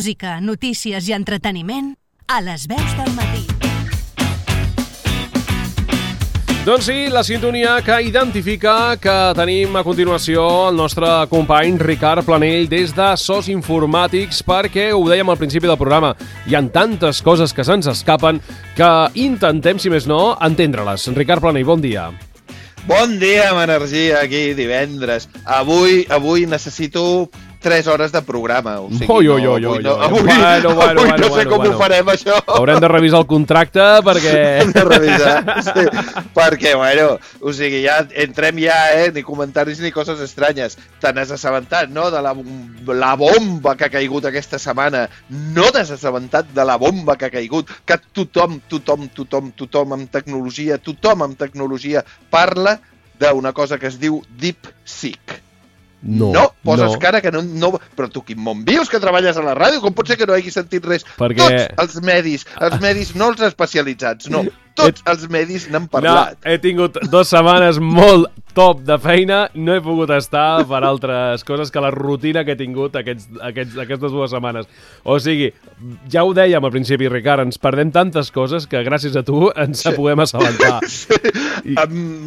Música, notícies i entreteniment a les veus del matí. Doncs sí, la sintonia que identifica que tenim a continuació el nostre company Ricard Planell des de SOS Informàtics, perquè ho dèiem al principi del programa, hi ha tantes coses que se'ns escapen que intentem, si més no, entendre-les. Ricard Planell, bon dia. Bon dia, amb energia, aquí divendres. Avui necessito 3 hores de programa. O sigui, avui no sé com ho farem, això. Haurem de revisar el contracte perquè... Hem de revisar, sí. Perquè, o sigui, ja entrem ni comentaris ni coses estranyes. Te n'has assabentat, no?, de la bomba que ha caigut aquesta setmana. No t'has assabentat de la bomba que ha caigut, que tothom amb tecnologia parla d'una cosa que es diu DeepSeek. No, poses cara que no... Però tu, quin món vius, que treballes a la ràdio? Com pot ser que no hagis sentit res? Perquè... Tots els medis, no els especialitzats, no. Tots els medis n'han parlat. No, he tingut 2 setmanes molt top de feina, no he pogut estar per altres coses que la rutina que he tingut aquestes 2 setmanes. O sigui, ja ho dèiem al principi, Ricard, ens perdem tantes coses que gràcies a tu ens podem assabentar.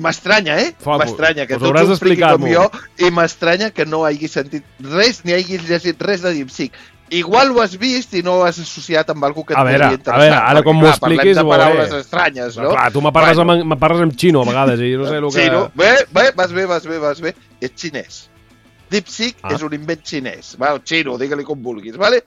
M'estranya, M'estranya que tu ets un friqui com jo i m'estranya que no hagis sentit res ni hagis llegit res de DeepSeek. Igual ho has vist i no ho has associat amb alguna que et podria interessar. A veure, ara com m'ho expliquis... Parlem de paraules estranyes, no? Clar, tu me parles en xino a vegades i no sé el que... Xino? Vas bé. És xinès. DeepSeek és un invent xinès. Xino, digue-li com vulguis, vale?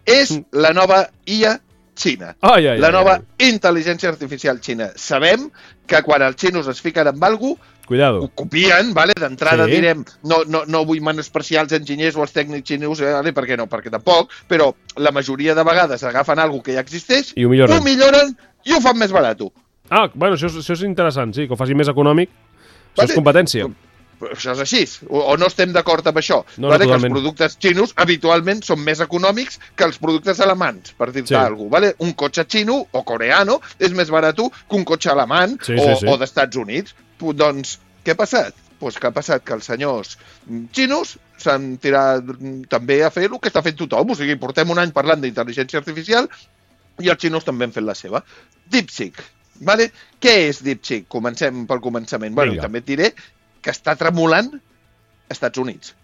És la nova IA xina. La nova intel·ligència artificial xina. Sabem que quan els xinos es fiquen amb alguna cosa, cuidado. Ho copien, vale? D'entrada direm, no vull menospreciar els enginyers o els tècnics xinesos, per què no? Perquè tampoc, però la majoria de vegades agafen alguna que ja existeix, ho milloren i ho fan més barat. Bueno, això és interessant, sí, que ho faci més econòmic, això és competència. Això és així, o no estem d'acord amb això, que els productes xinos habitualment són més econòmics que els productes alemans, per dir-te alguna cosa. Un cotxe xino o coreano és més barat que un cotxe alemany o d'Estats Units. Doncs, què ha passat? Doncs que ha passat que els senyors xinos s'han tirat també a fer el que està fent tothom. O sigui, portem un any parlant d'intel·ligència artificial i els xinos també han fet la seva. DeepSeek. Vale? Què és DeepSeek? Comencem pel començament. També et diré que està tremolant als Estats Units.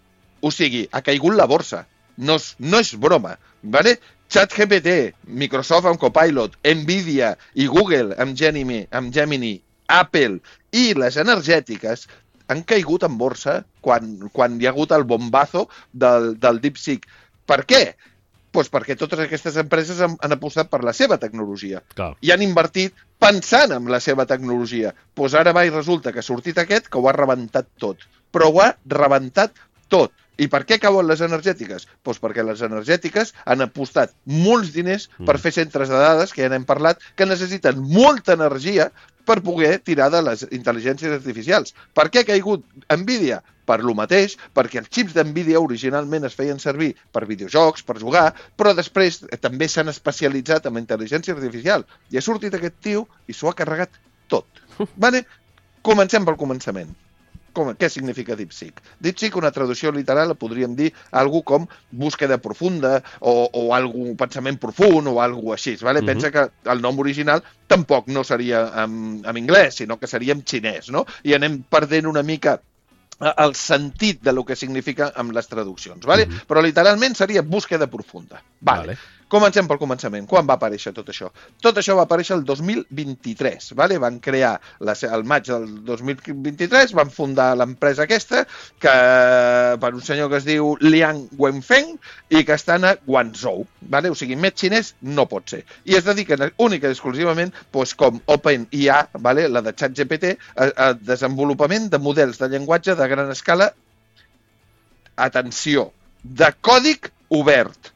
O sigui, ha caigut la borsa. No és broma. Vale? ChatGPT, Microsoft amb Copilot, Nvidia i Google amb Gemini, Apple i les energètiques han caigut en borsa quan hi ha hagut el bombazo del DeepSeek. Per què? Doncs perquè totes aquestes empreses han apostat per la seva tecnologia i han invertit pensant en la seva tecnologia. Doncs ara resulta que ha sortit aquest que ho ha rebentat tot. Però ho ha rebentat tot. I per què cauen les energètiques? Doncs perquè les energètiques han apostat molts diners per fer centres de dades, que ja n'hem parlat, que necessiten molta energia per poder tirar de les intel·ligències artificials. Per què ha caigut Nvidia? Per lo mateix, perquè els xips d'Nvidia originalment es feien servir per videojocs, per jugar, però després també s'han especialitzat en intel·ligència artificial. I ha sortit aquest tio i s'ho ha carregat tot. Comencem pel començament. Què significa DeepSeek? DeepSeek, una traducció literal, podríem dir alguna com búsqueda profunda o pensament profund o alguna així. Pensa que el nom original tampoc no seria en anglès, sinó que seria en xinès, no? I anem perdent una mica el sentit de lo que significa amb les traduccions. Però literalment seria búsqueda profunda. Comencem pel començament. Quan va aparèixer tot això? Tot això va aparèixer el 2023. Van crear, el maig del 2023, van fundar l'empresa aquesta, per un senyor que es diu Liang Wenfeng i que està a Guangzhou. O sigui, més xinès no pot ser. I es dediquen única i exclusivament, com OpenIA, la de ChatGPT, a desenvolupament de models de llenguatge de gran escala, atenció, de còdig obert.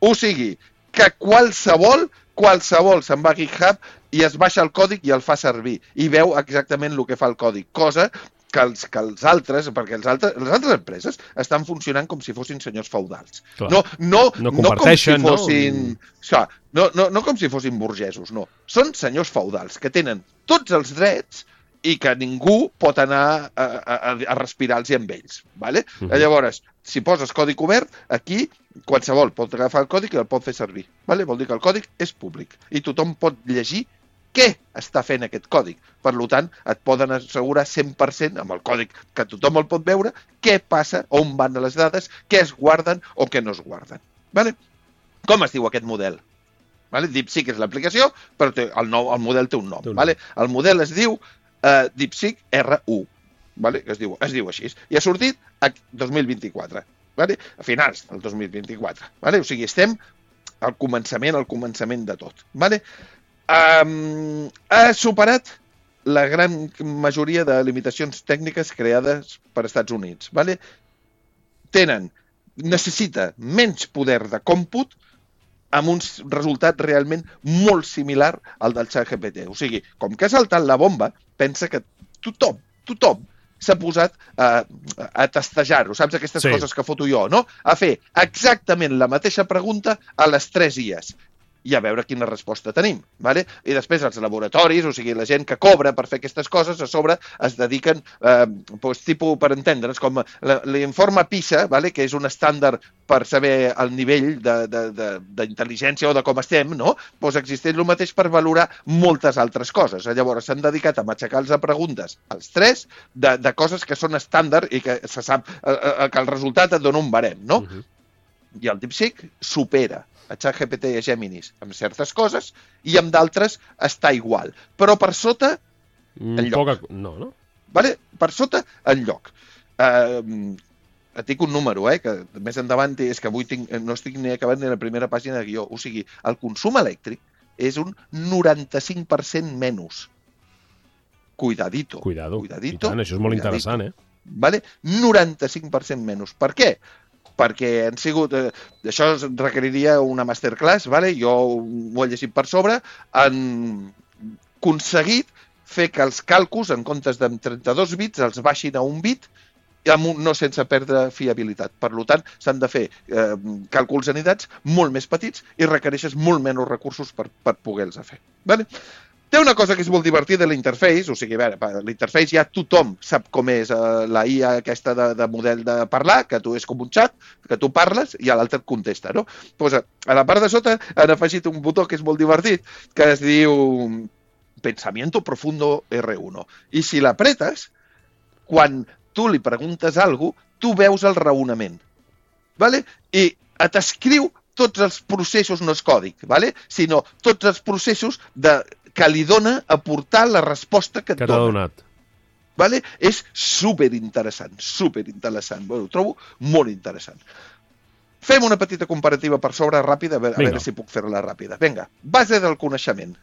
O sigui, que qualsevol se'n va a GitHub i es baixa el còdig i el fa servir. I veu exactament el que fa el còdig. Cosa que els altres, perquè les altres empreses estan funcionant com si fossin senyors feudals. No comparteixen, no com si fossin burgesos, no. Són senyors feudals que tenen tots els drets i que ningú pot anar a respirar-los amb ells. Llavors, si poses codi obert, aquí qualsevol pot agafar el còdic i el pot fer servir. Vale? Vol dir que el còdic és públic i tothom pot llegir què està fent aquest còdic. Per tant, et poden assegurar 100% amb el còdic que tothom el pot veure què passa, on van les dades, què es guarden o què no es guarden. Vale? Com es diu aquest model? Vale? DeepSeek és l'aplicació, però el model té un nom. Vale? El model es diu DeepSeek R1. Vale? Es diu així. I ha sortit a 2024. Vale? A finals del 2024. Vale? O sigui, estem al començament de tot. Vale? Ha superat la gran majoria de limitacions tècniques creades per Estats Units. Vale? Necessita menys poder de còmput amb un resultat realment molt similar al del ChatGPT. O sigui, com que ha saltat la bomba, pensa que tothom s'ha posat a testejar-ho. Saps aquestes coses que foto jo, no? A fer exactament la mateixa pregunta a les 3 IAs i a veure quina resposta tenim. Vale? I després els laboratoris, o sigui, la gent que cobra per fer aquestes coses, a sobre es dediquen, tipus, per entendre's, com l'informe PISA, vale? Que és un estàndard per saber el nivell d'intel·ligència o de com estem, no? Pues existeix el mateix per valorar moltes altres coses. Llavors s'han dedicat a matxacar-los a preguntes als 3 de coses que són estàndard i que se sap que el resultat et dona un barem, no? I el DeepSeek supera a ChatGPT i a Geminis amb certes coses i amb d'altres està igual. Però per sota, enlloc. No? Vale? Per sota, enlloc. Et dic un número, que més endavant és que avui no estic ni acabant ni la primera pàgina de guió. O sigui, el consum elèctric és un 95% menys. Cuidadito. I tant, això és molt interessant, Vale? 95% menys. Per què? Perquè han sigut... Això requeriria una masterclass, vale? Jo ho he llegit per sobre. Han aconseguit fer que els càlculs, en comptes de 32 bits, els baixin a un bit, no sense perdre fiabilitat. Per tant, s'han de fer càlculs anidats molt més petits i requereixes molt menys recursos per poder-los fer. Vale? Té una cosa que és molt divertida, l'interface, o sigui, a veure, l'interface ja tothom sap com és la IA aquesta de model de parlar, que tu és com un xat, que tu parles i l'altre et contesta, no? Pues a la part de sota han afegit un botó que és molt divertit, que es diu Pensamiento Profundo R1. I si l'apretes, quan tu li preguntes alguna cosa, tu veus el raonament. Vale? I t'escriu tots els processos, no és còdic, vale? Sinó tots els processos que li dona aportar la resposta que et dona. Que t'ha donat. Vale? És superinteressant. Bueno, ho trobo molt interessant. Fem una petita comparativa per sobre ràpida, a veure si puc fer-la ràpida. Vinga, base del coneixement.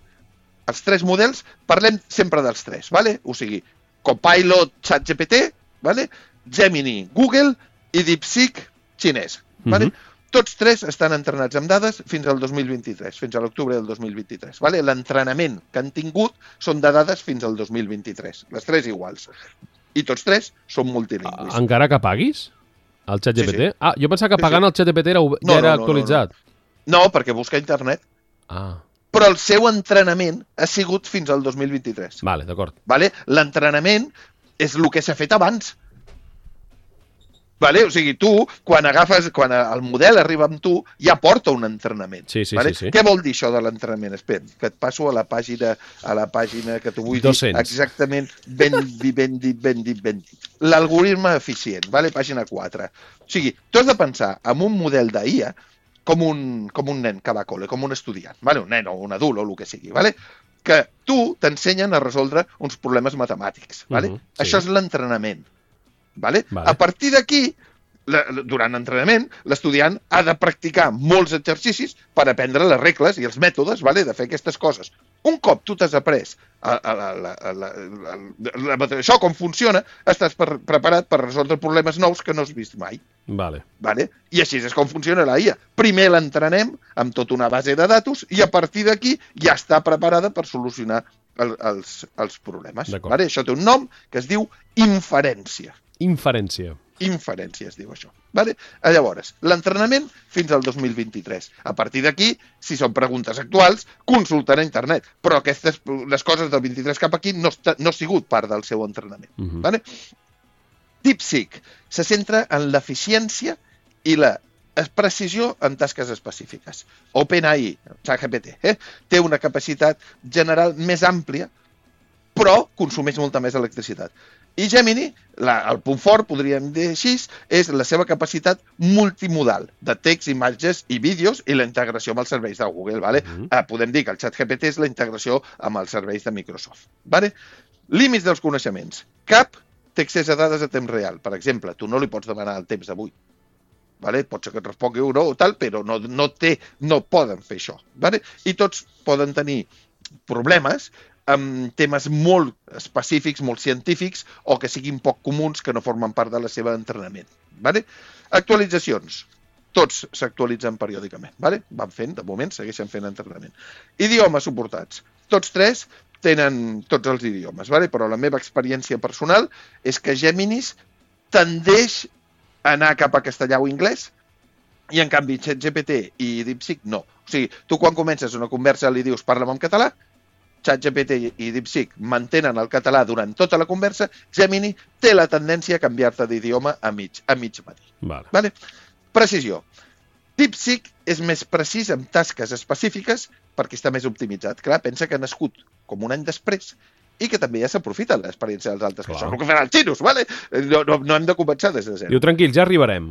Els 3 models, parlem sempre dels 3, vale? O sigui, Copilot, ChatGPT, vale? Gemini, Google i DeepSeek, xinès. Vale? Tots 3 estan entrenats amb dades fins al 2023, fins a l'octubre del 2023. Vale? L'entrenament que han tingut són de dades fins al 2023. Les 3 iguals. I tots 3 són multilingüis. Encara que paguis el ChatGPT? Sí. Jo pensava que pagant el ChatGPT ja era actualitzat. No, perquè busca internet. Però el seu entrenament ha sigut fins al 2023. Vale, d'acord. Vale? L'entrenament és el que s'ha fet abans. Vale? O sigui, tu, quan el model arriba amb tu, ja porta un entrenament. Sí. Què vol dir això de l'entrenament? Espera, que et passo a la pàgina que t'ho vull 200. dir exactament ben dit. L'algoritme eficient, vale? Pàgina 4. O sigui, tu has de pensar en un model d'IA com un nen que va a col·le, com un estudiant, vale? Un nen o un adult o el que sigui, vale? Que tu t'ensenyen a resoldre uns problemes matemàtics. Vale? Sí. Això és l'entrenament. Vale? A partir d'aquí, durant l'entrenament, l'estudiant ha de practicar molts exercicis per aprendre les regles i els mètodes, vale? De fer aquestes coses. Un cop tu t'has après això, com funciona, estàs preparat per resoldre problemes nous que no has vist mai. Vale. I així és com funciona la IA. Primer l'entrenem amb tota una base de datos i a partir d'aquí ja està preparada per solucionar els problemes. Vale? Això té un nom que es diu inferència. Inferència es diu això. Vale? Llavors, l'entrenament fins al 2023. A partir d'aquí, si són preguntes actuals, consulten a internet. Però les coses del 23 cap aquí no ha sigut part del seu entrenament. Vale? DeepSeek se centra en l'eficiència i la precisió en tasques específiques. OpenAI, ChatGPT, té una capacitat general més àmplia, però consumeix molta més electricitat. I Gemini, el punt fort, podríem dir així, és la seva capacitat multimodal de text, imatges i vídeos i la integració amb els serveis de Google. Vale? Podem dir que el ChatGPT és la integració amb els serveis de Microsoft. Vale? Límits dels coneixements. Cap té accés a dades a temps real. Per exemple, tu no li pots demanar el temps d'avui. Vale? Pot ser que et respongui o no, tal, però no poden fer això. Vale? I tots poden tenir problemes amb temes molt específics, molt científics, o que siguin poc comuns, que no formen part de la seva entrenament. Vale? Actualitzacions. Tots s'actualitzen periòdicament. Vale? Van fent, de moment, segueixen fent entrenament. Idiomes suportats. Tots tres tenen tots els idiomes, vale? Però la meva experiència personal és que Geminis tendeix a anar cap a castellà o anglès, i en canvi ChatGPT i DeepSeek no. O sigui, tu quan comences una conversa li dius parla'm en català, ChatGPT i DeepSeek mantenen el català durant tota la conversa, Gemini té la tendència a canviar-te d'idioma a mig matí. Vale? Precisió. DeepSeek és més precís en tasques específiques perquè està més optimitzat. Clar, pensa que ha nascut com un any després i que també ja s'aprofita l'experiència dels altres, que això és el que faran els xinos, vale? No hem de començar des de zero. Diu, tranquil, ja arribarem.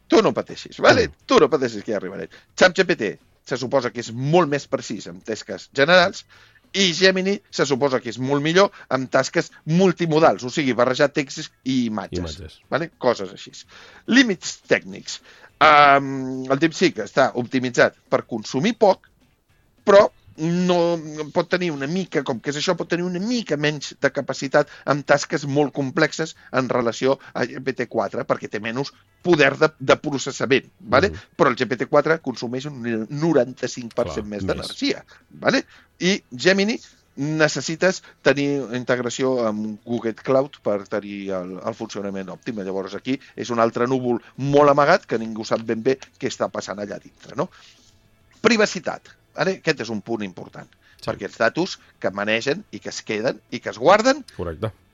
Tu no pateixis, vale? Tu no pateixis que ja arribarem. ChatGPT se suposa que és molt més precís en tasques generals i Gemini se suposa que és molt millor en tasques multimodals, o sigui, barrejar texts i imatges. Vale? Coses així. Límits tècnics. El DeepSeek està optimitzat per consumir poc, però no pot tenir una mica, com que és això, pot tenir una mica menys de capacitat en tasques molt complexes en relació a GPT-4, perquè té menys poder de processament, vale? Però el GPT-4 consumeix un 95% més d'energia. Vale? I Gemini necessites tenir integració amb Google Cloud per tenir el funcionament òptim. Llavors aquí és un altre núvol molt amagat que ningú sap ben bé què està passant allà dintre. No? Privacitat. Aquest és un punt important, perquè els datos que manegen i que es queden i que es guarden,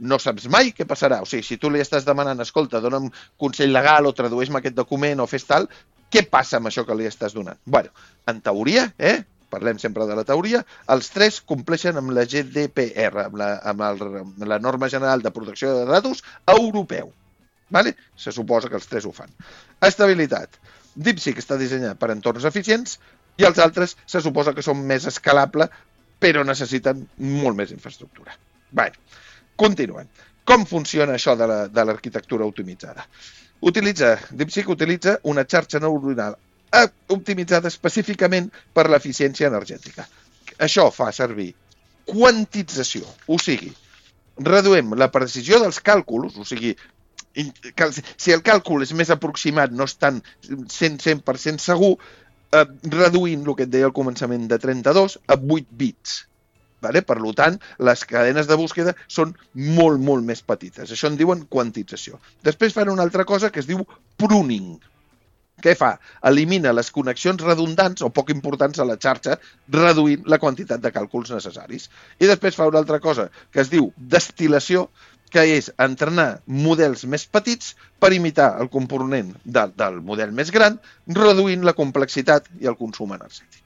no saps mai què passarà. O sigui, si tu li estàs demanant, escolta, dona'm consell legal o tradueix-me aquest document o fes tal, què passa amb això que li estàs donant? Bueno, en teoria, parlem sempre de la teoria, els tres compleixen amb la GDPR, amb la norma general de protecció de datos europeu. Vale? Se suposa que els tres ho fan. Estabilitat. DeepSeek està dissenyat per entorns eficients i els altres se suposa que són més escalables, però necessiten molt més infraestructura. Bé, continuem. Com funciona això de l'arquitectura optimitzada? DeepSeek utilitza una xarxa neuronal optimitzada específicament per l'eficiència energètica. Això fa servir quantització, o sigui, reduïm la precisió dels càlculs, o sigui, si el càlcul és més aproximat, no és tan 100% segur, reduint el que et deia al començament de 32 a 8 bits. Vale? Per tant, les cadenes de búsqueda són molt, molt més petites. Això en diuen quantització. Després fan una altra cosa que es diu pruning. Què fa? Elimina les connexions redundants o poc importants a la xarxa, reduint la quantitat de càlculs necessaris. I després fa una altra cosa que es diu destil·lació, que és entrenar models més petits per imitar el component del model més gran, reduint la complexitat i el consum energètic.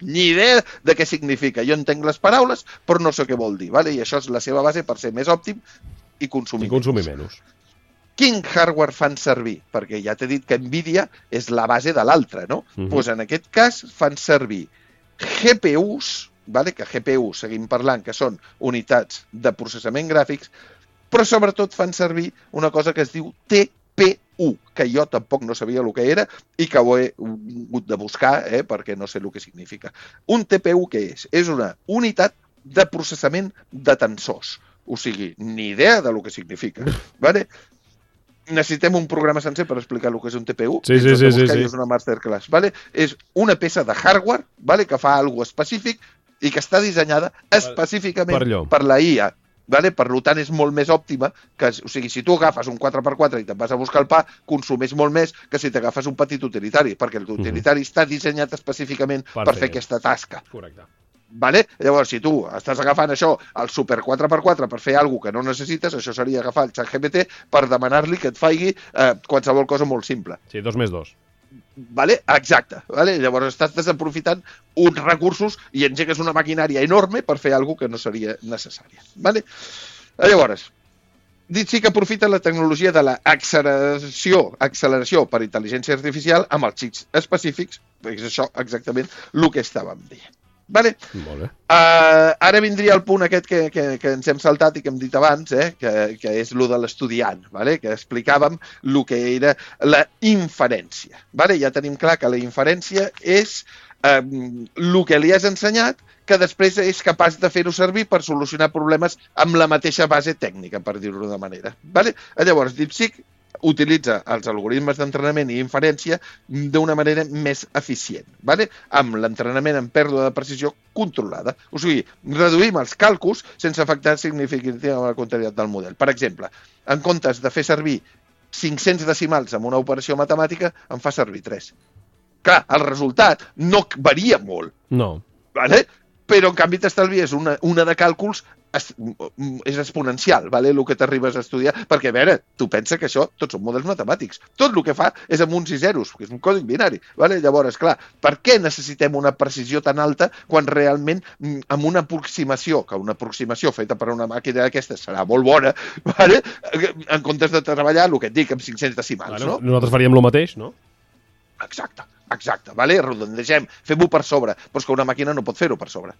Ni idea de què significa. Jo entenc les paraules, però no sé què vol dir. Vale? I això és la seva base per ser més òptim i consumir menys. Quin hardware fan servir? Perquè ja t'he dit que Nvidia és la base de l'altre, no? Doncs en aquest cas fan servir GPUs, vale? Que GPUs, seguim parlant, que són unitats de processament gràfics, però sobretot fan servir una cosa que es diu TPU, que jo tampoc no sabia el que era i que ho he hagut de buscar perquè no sé el que significa. Un TPU què és? És una unitat de processament de tensors. O sigui, ni idea de lo que significa. Vale? Necessitem un programa sencer per explicar el que és un TPU. Sí. És una masterclass. Vale? És una peça de hardware, vale? Que fa alguna específic i que està dissenyada específicament per la IA. Vale? Per tant, és molt més òptima. O sigui, si tu agafes un 4x4 i te'n vas a buscar el pa, consumeix molt més que si t'agafes un petit utilitari, perquè l'utilitari està dissenyat específicament per fer aquesta tasca. Correcte. Vale? Llavors, si tu estàs agafant això, el super 4x4, per fer alguna que no necessites, això seria agafar el ChatGPT per demanar-li que et faci qualsevol cosa molt simple. Sí, 2 més 2. Vale? Exacte. Vale? Llavors estàs desaprofitant uns recursos i engegues una maquinària enorme per fer alguna que no seria necessària. Vale? Llavors, DeepSeek aprofita la tecnologia de l'acceleració per intel·ligència artificial amb els xips específics, és això exactament el que estàvem dient. Vale? Molt bé. Ara vindria el punt aquest que ens hem saltat i que hem dit abans, que és el de l'estudiant, vale? Que explicàvem el que era la inferència. Vale? Ja tenim clar que la inferència és el que li has ensenyat que després és capaç de fer-ho servir per solucionar problemes amb la mateixa base tècnica, per dir-ho d'una manera. Vale? Llavors, DeepSeek utilitza els algoritmes d'entrenament i inferència d'una manera més eficient, vale? Amb l'entrenament en pèrdua de precisió controlada. O sigui, reduïm els càlculs sense afectar significativament la quantitat del model. Per exemple, en comptes de fer servir 500 decimals en una operació matemàtica, en fa servir 3. Clar, el resultat no varia molt. No. Vale? Però en canvi t'estalvies una de càlculs és exponencial, vale? El que t'arribes a estudiar, perquè a veure, tu pensa que això tots són models matemàtics, tot el que fa és amb uns i zeros, que és un còdic binari, vale? Llavors, clar, per què necessitem una precisió tan alta quan realment amb una aproximació, que una aproximació feta per una màquina d'aquesta serà molt bona, vale? En comptes de treballar, el que et dic, amb 500 decimals, bueno, no? Nosaltres faríem el mateix, no? Exacte, vale? Redondegem, fem-ho per sobre, però és que una màquina no pot fer-ho per sobre.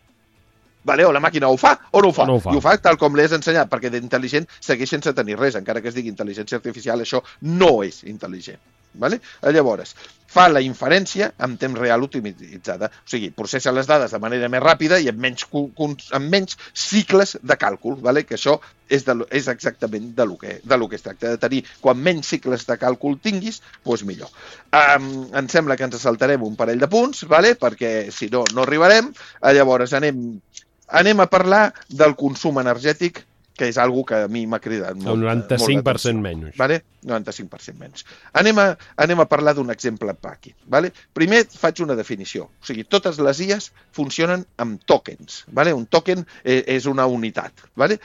Vale? O la màquina ho fa o no ho fa. No ho fa. I ho fa tal com l'he ensenyat, perquè d'intel·ligent segueix sense tenir res, encara que es digui intel·ligència artificial, això no és intel·ligent. Vale? Llavors, fa la inferència en temps real optimitzada, o sigui, processa les dades de manera més ràpida i amb menys cicles de càlcul, vale? Que això és exactament de lo que es tracta, de tenir. Quan menys cicles de càlcul tinguis, doncs millor. Em sembla que ens saltarem un parell de punts, vale? Perquè si no, no arribarem. Llavors anem a parlar del consum energètic, que és algo que a mi m'ha cridat molt. El 95% menys. Vale? 95% menys. Anem a parlar d'un exemple aquí. Vale? Primer faig una definició. O sigui, totes les IAs funcionen amb tokens. Vale? Un token és una unitat. Vale?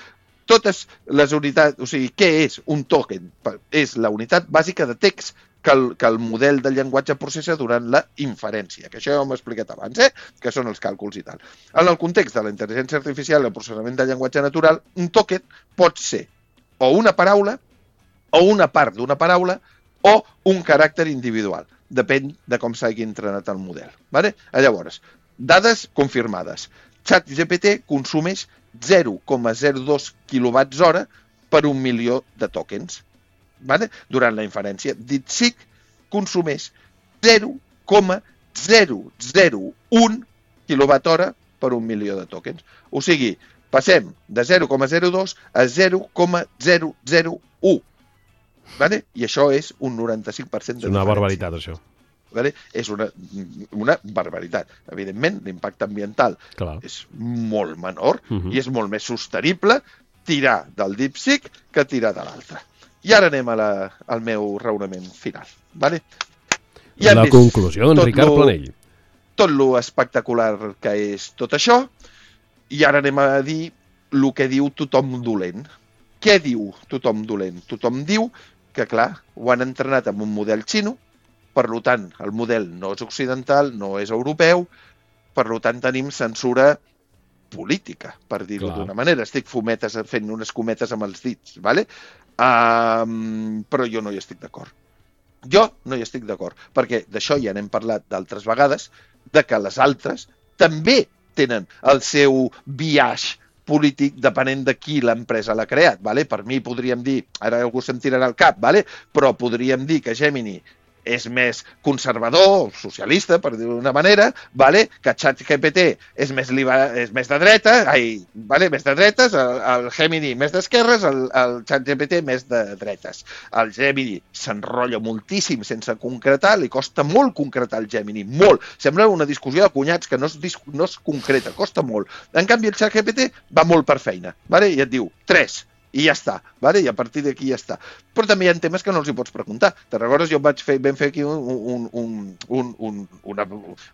Totes les unitats... O sigui, què és un token? És la unitat bàsica de text que el model de llenguatge processa durant la inferència, que això ja ho hem explicat abans, que són els càlculs i tal. En el context de la intel·ligència artificial i el processament de llenguatge natural, un token pot ser o una paraula, o una part d'una paraula, o un caràcter individual. Depèn de com s'hagi entrenat el model. Vale? Llavors, dades confirmades. ChatGPT consumeix 0,02 kWh per 1 milió de tokens. Vale? Durant la inferència. DeepSeek consumeix 0,001 kWh per 1 milió de tokens. O sigui, passem de 0,02 a 0,001. Vale? I això és un 95% de diferència. És una barbaritat, això. Vale? És una barbaritat. Evidentment, l'impacte ambiental és molt menor i és molt més sostenible tirar del DeepSeek que tirar de l'altre. I ara anem al meu raonament final. Vale? Ja la conclusió d'en Ricard Planell. Tot lo espectacular que és tot això, i ara anem a dir el que diu tothom dolent. Què diu tothom dolent? Tothom diu que, clar, ho han entrenat amb un model xino, per tant, el model no és occidental, no és europeu, per tant, tenim censura política, per dir-ho d'una manera. Estic fent unes cometes amb els dits, vale? Però jo no hi estic d'acord. Perquè d'això ja n'hem parlat d'altres vegades, de que les altres també tenen el seu biaix polític depenent de qui l'empresa l'ha creat. Vale? Per mi podríem dir, ara algú se'm tirarà al cap, vale? Però podríem dir que Gemini és més conservador, socialista, per dir-ho d'una manera, vale? Que ChatGPT és més de dreta, més de dretes, el Gemini més d'esquerres, el ChatGPT més de dretes. El Gemini s'enrotlla moltíssim sense concretar, li costa molt concretar el Gemini, molt. Sembla una discussió de cunyats que no es concreta, costa molt. En canvi, el ChatGPT va molt per feina, vale? I et diu 3, i ja està, vale? I a partir d'aquí ja està. Però també hi ha temes que no els hi pots preguntar. Te'n recordes? Jo vam fer aquí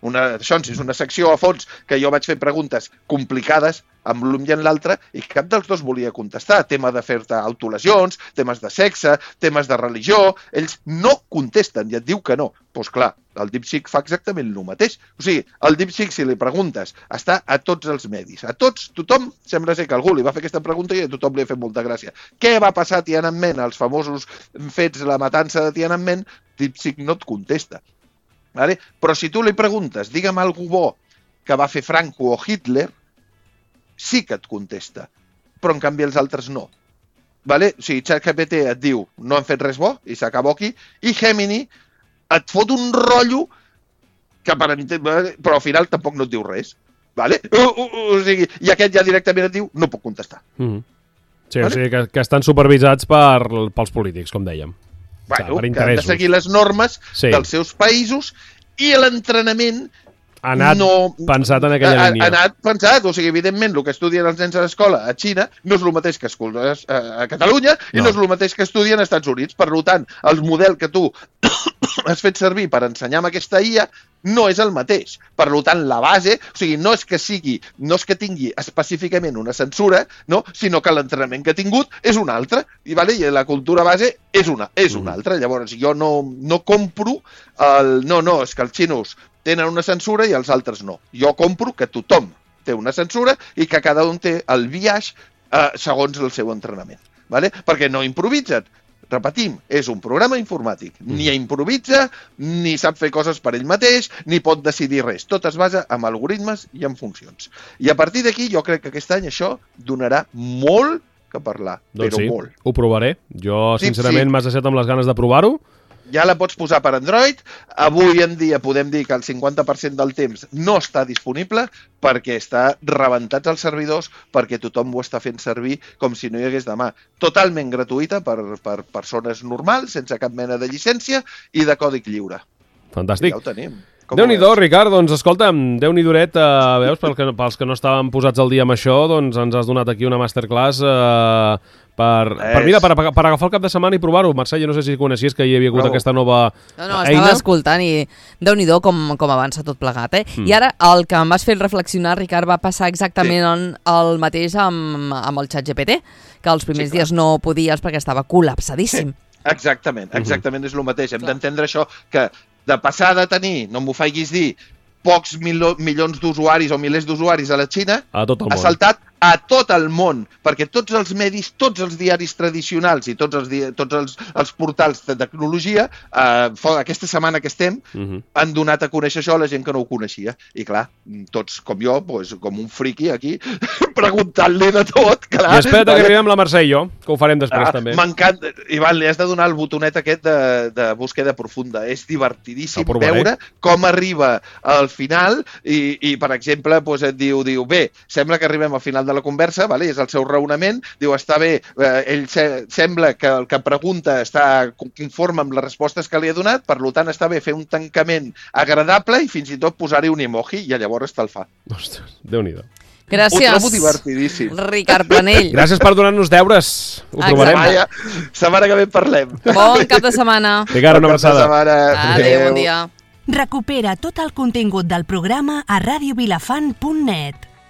una secció a fons que jo vaig fer preguntes complicades amb l'un i en l'altre i cap dels dos volia contestar. Tema de fer-te autolesions, temes de sexe, temes de religió, ells no contesten i et diu que no. Doncs clar, el DeepSeek fa exactament el mateix. O sigui, el DeepSeek, si li preguntes, està a tots els medis. A tots, tothom, sembla ser que algú li va fer aquesta pregunta i a tothom li ha fet molta gràcia. Què va passar a Tiananmen, els famosos fets, la matança de Tiananmen? DeepSeek no et contesta. Vale? Però si tu li preguntes, digue'm algú bo que va fer Franco o Hitler, sí que et contesta. Però en canvi els altres no. Vale? O sigui, ChatGPT et diu no han fet res bo i s'acabó aquí, i Gemini et fot un rotllo que però al final tampoc no et diu res. Vale? O sigui, i aquest ja directament et diu no puc contestar. Sí, vale? O sigui que estan supervisats pels polítics, com dèiem. Bueno, que han de seguir les normes dels seus països i l'entrenament ha anat pensat en aquella línia. Ha anat pensat, o sigui, evidentment, el que estudien els nens a l'escola a Xina no és el mateix que a Catalunya i no és el mateix que estudien als Estats Units. Per tant, el model que tu has fet servir per ensenyar amb aquesta IA no és el mateix. Per tant, la base, o sigui, no és que tingui específicament una censura, no? Sinó que l'entrenament que ha tingut és un altre, i la cultura base és una altra. Llavors, jo no compro és que els xinos tenen una censura i els altres no. Jo compro que tothom té una censura i que cada un té el biaix segons el seu entrenament. Vale? Perquè no improvisen. Repetim, és un programa informàtic. Ni improvisa, ni sap fer coses per ell mateix, ni pot decidir res. Tot es basa en algoritmes i en funcions. I a partir d'aquí jo crec que aquest any això donarà molt que parlar, doncs però sí, molt. Ho provaré. Jo, sincerament, m'has deixat amb les ganes de provar-ho. Ja la pots posar per Android. Avui en dia podem dir que el 50% del temps no està disponible perquè està rebentats els servidors, perquè tothom ho està fent servir com si no hi hagués demà. Totalment gratuïta per persones normals, sense cap mena de llicència i de còdig lliure. Fantàstic. Ja ho tenim. Déu-n'hi-do, Ricard, doncs escolta'm, Déu-n'hi-doret, veus, pels que no estàvem posats al dia amb això, doncs ens has donat aquí una masterclass per agafar el cap de setmana i provar-ho. Mercè, jo no sé si coneixies que hi havia hagut aquesta nova eina. No, estava escoltant i Déu-n'hi-do com avança tot plegat, eh? I ara el que em vas fer reflexionar, Ricard, va passar exactament el mateix amb el ChatGPT, que els primers dies no podies perquè estava col·lapsadíssim. Exactament és el mateix. Hem d'entendre això, que de passar de tenir, no m'ho facis dir, pocs milions d'usuaris o milers d'usuaris a la Xina, ha saltat a tot el món, perquè tots els medis, tots els diaris tradicionals i tots els portals de tecnologia, aquesta setmana que estem, han donat a conèixer això a la gent que no ho coneixia. I clar, tots com jo, com un friqui aquí, preguntant-li de tot. Clar. I espera't que arribem la Mercè i jo, que ho farem després també. M'encanta. Ivan, li has de donar el botonet aquest de búsqueda profunda. És divertidíssim veure com arriba al final i per exemple, et diu, bé, sembla que arribem al final de la conversa, és el seu raonament, diu, està bé, ell sembla que el que pregunta està conforme amb les respostes que li ha donat, per tant està bé fer un tancament agradable i fins i tot posar-hi un emoji i llavors te'l fa. Ostres, Déu-n'hi-do. Gràcies, ho trobo divertidíssim. Ricard Planell. Gràcies per donar-nos deures. Ho provarem. Setmana que ve parlem. Bon cap de setmana. Ricard, una abraçada. Adéu, bon dia. Recupera tot el contingut del programa a radiovilafant.net.